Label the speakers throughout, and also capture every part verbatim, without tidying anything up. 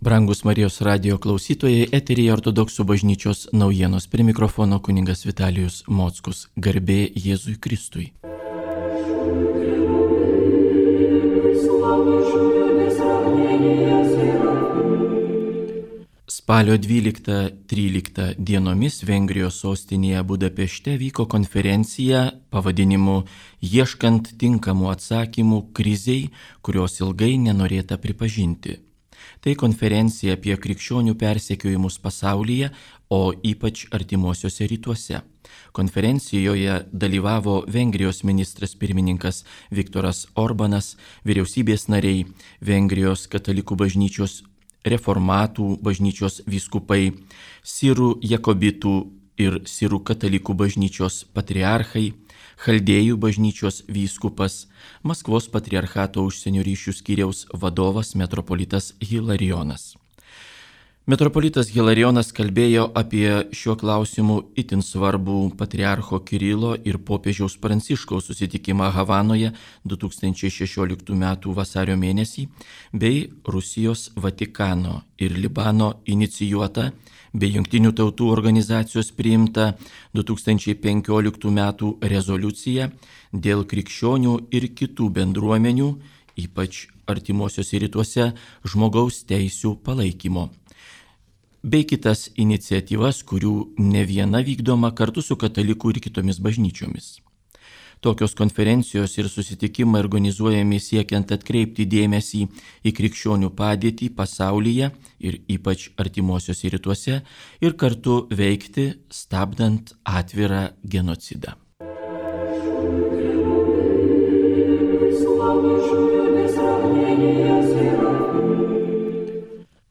Speaker 1: Brangus Marijos radijo klausytojai, eteryje Ortodoksų bažnyčios naujienos. Prie mikrofono kunigas Vitalijus Mockus. Garbė Jėzui Kristui. Spalio dvyliktą tryliktą dienomis Vengrijos sostinėje Budapešte vyko konferencija pavadinimu Ieškant tinkamų atsakymų krizei, kurios ilgai nenorėta pripažinti. Tai konferencija apie krikščionių persekiojimus pasaulyje, o ypač artimuosiuose rytuose. Konferencijoje dalyvavo Vengrijos ministras pirmininkas Viktoras Orbanas, vyriausybės nariai, Vengrijos katalikų bažnyčios reformatų bažnyčios vyskupai, sirų jakobitų ir sirų katalikų bažnyčios patriarchai, Chaldėjų bažnyčios vyskupas, Maskvos patriarchato užsienio ryšių skyriaus vadovas metropolitas Hilarijonas. Metropolitas Hilarijonas kalbėjo apie šiuo klausimu itin svarbų patriarcho Kirilo ir popiežiaus Pranciškaus susitikimą Havanoje du tūkstančiai šešioliktų metų vasario mėnesį bei Rusijos, Vatikano ir Libano inicijuotą bei Jungtinių tautų organizacijos priimta du tūkstančiai penkioliktų metų rezoliucija dėl krikščionių ir kitų bendruomenių, ypač artimuosiuose rytuose, žmogaus teisių palaikymo, bei kitas iniciatyvas, kurių ne viena vykdoma kartu su katalikų ir kitomis bažnyčiomis. Tokios konferencijos ir susitikimai organizuojami siekiant atkreipti dėmesį į krikščionių padėtį pasaulyje ir ypač artimuosiuose rytuose ir kartu veikti, stabdant atvirą genocidą.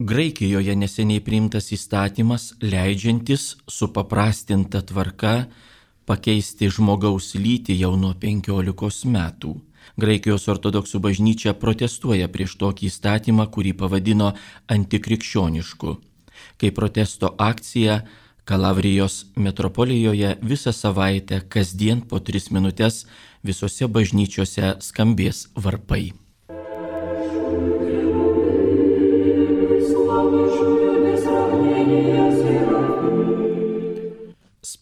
Speaker 1: Graikijoje neseniai priimtas įstatymas leidžiantis supaprastinta tvarka pakeisti žmogaus lytį jau nuo penkiolikos metų. Graikijos ortodoksų bažnyčia protestuoja prieš tokį įstatymą, kurį pavadino antikrikščionišku. Kaip protesto akcija Kalavrijos metropolijoje visą savaitę kasdien po tris minutės visose bažnyčiose skambės varpai.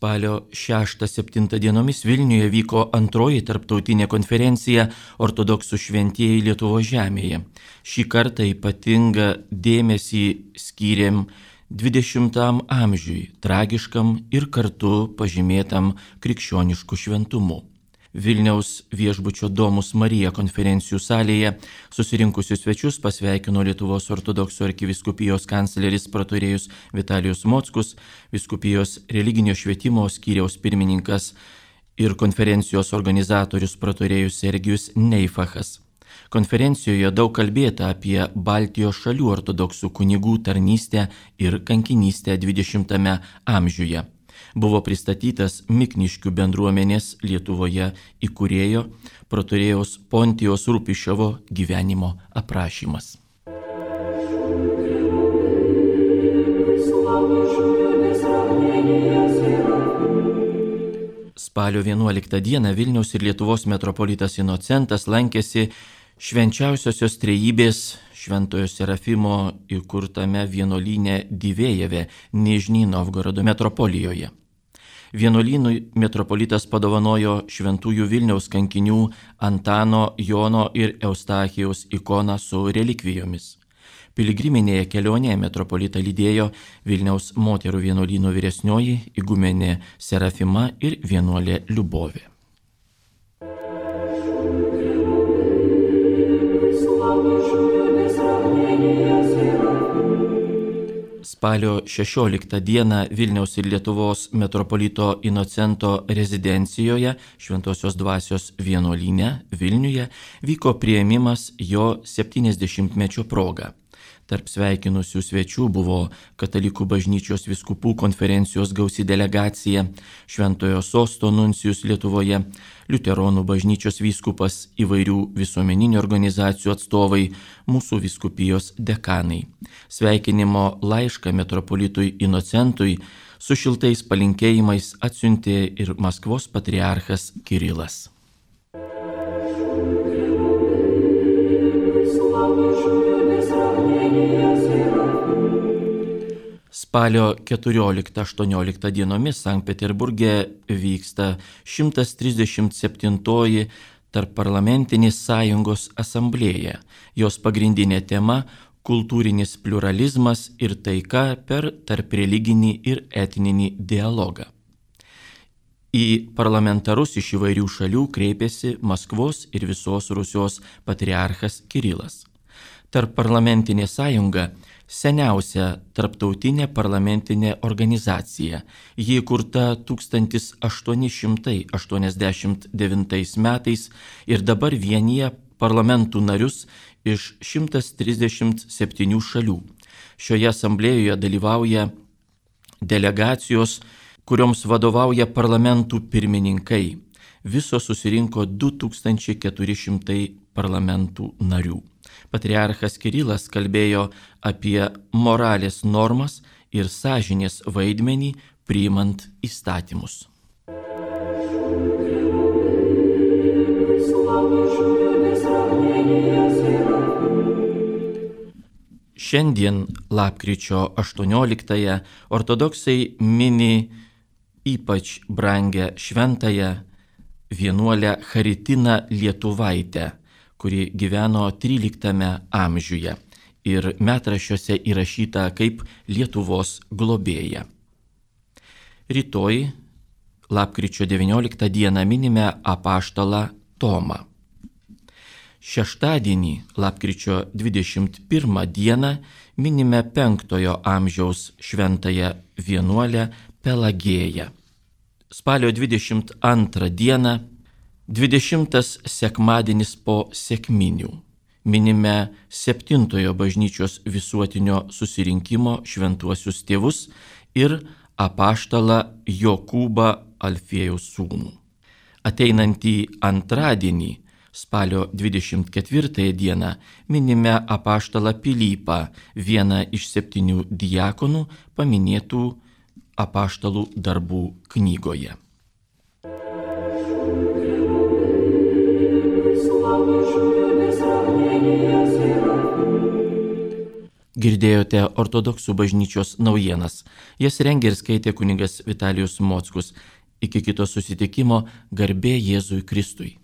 Speaker 1: Spalio šeštą septintą dienomis Vilniuje vyko antroji tarptautinė konferencija Ortodoksų šventieji Lietuvos žemėje. Šį kartą ypatingą dėmesį skyrėm dvidešimtam amžiui, tragiškam ir kartu pažymėtam krikščionišku šventumu. Vilniaus viešbučio Domus Marija konferencijų salėje susirinkusius svečius pasveikino Lietuvos ortodoksų arkivyskupijos kancleris protorėjus Vitalijus Mockus, vyskupijos religinio švietimo skyriaus pirmininkas ir konferencijos organizatorius protorėjus Sergijus Neifachas. Konferencijoje daug kalbėta apie Baltijos šalių ortodoksų kunigų tarnystę ir kankinystę dvidešimtame amžiuje. Buvo pristatytas Mikniškių bendruomenės Lietuvoje įkūrėjo protorėjaus Pontijaus Rupiševo gyvenimo aprašymas. Spalio vienuoliktą dieną Vilniaus ir Lietuvos metropolitas Inocentas lankėsi Švenčiausiosios Trejybės Šventojo Serafimo įkurtame vienuolyne Divėjeve, Nižnij Novgorodo metropolijoje. Vienuolynui metropolitas padovanojo šventųjų Vilniaus kankinių Antano, Jono ir Eustachijaus ikoną su relikvijomis. Piligriminėje kelionėje metropolitą lydėjo Vilniaus moterų vienuolyno vyresnioji igumenė Serafima ir vienuolė Liubovė. Spalio šešioliktą dieną Vilniaus ir Lietuvos metropolito Inocento rezidencijoje Šventosios dvasios vienuolyne Vilniuje vyko priėmimas jo septyniasdešimtmečio proga. Tarp sveikinusių svečių buvo Katalikų bažnyčios vyskupų konferencijos gausi delegacija, Šventojo Sosto nuncijus Lietuvoje, Liuteronų bažnyčios vyskupas, įvairių visuomeninių organizacijų atstovai, mūsų vyskupijos dekanai. Sveikinimo laišką metropolitui Inocentui su šiltais palinkėjimais atsiuntė ir Maskvos patriarchas Kirilas. Слава Spalio keturioliktą aštuonioliktą dienomis Sankt Peterburge vyksta šimtas trisdešimt septintoji Tarpparlamentinės sąjungos asamblėja. Jos pagrindinė tema – kultūrinis pluralizmas ir taika per tarpreliginį ir etninį dialogą. Į parlamentarus iš įvairių šalių kreipėsi Maskvos ir visos Rusijos patriarchas Kirilas. Tarpparlamentinė sąjunga – seniausia tarptautinė parlamentinė organizacija. Ji įkurta tūkstantis aštuoni šimtai aštuoniasdešimt devintais metais ir dabar vienyje parlamentų narius iš šimtas trisdešimt septynių šalių. Šioje asamblėjoje dalyvauja delegacijos, kurioms vadovauja parlamentų pirmininkai. Viso susirinko du tūkstančiai keturi šimtai parlamentų narių. Patriarchas Kirilas kalbėjo apie moralės normas ir sąžinės vaidmenį priimant įstatymus. Šiandien, lapkričio aštuonioliktąją, ortodoksai mini ypač brangę šventąją vienuolę Charitiną Lietuvaitę, kuri gyveno tryliktame amžiuje ir metraščiuose įrašyta kaip Lietuvos globėja. Rytoj, lapkričio devynioliktą dieną, minime apaštalą Tomą. Šeštadienį, lapkričio dvidešimt pirmą dieną, minime penktojo amžiaus šventąją vienuolę Pelagėją. Spalio dvidešimt antrą dieną, dvidešimtas sekmadienis po sekminių, minime septintojo bažnyčios visuotinio susirinkimo šventuosius tėvus ir apaštalą Jokūbą Alfiejaus sūnų. Ateinantį antradienį, spalio dvidešimt ketvirtąją dieną, minime apaštalą Pilypą, vieną iš septynių diakonų paminėtų apaštalų darbų knygoje. Girdėjote ortodoksų bažnyčios naujienas. Jas rengė ir skaitė kunigas Vitalijus Mockus. Iki kito susitikimo, garbė Jėzui Kristui.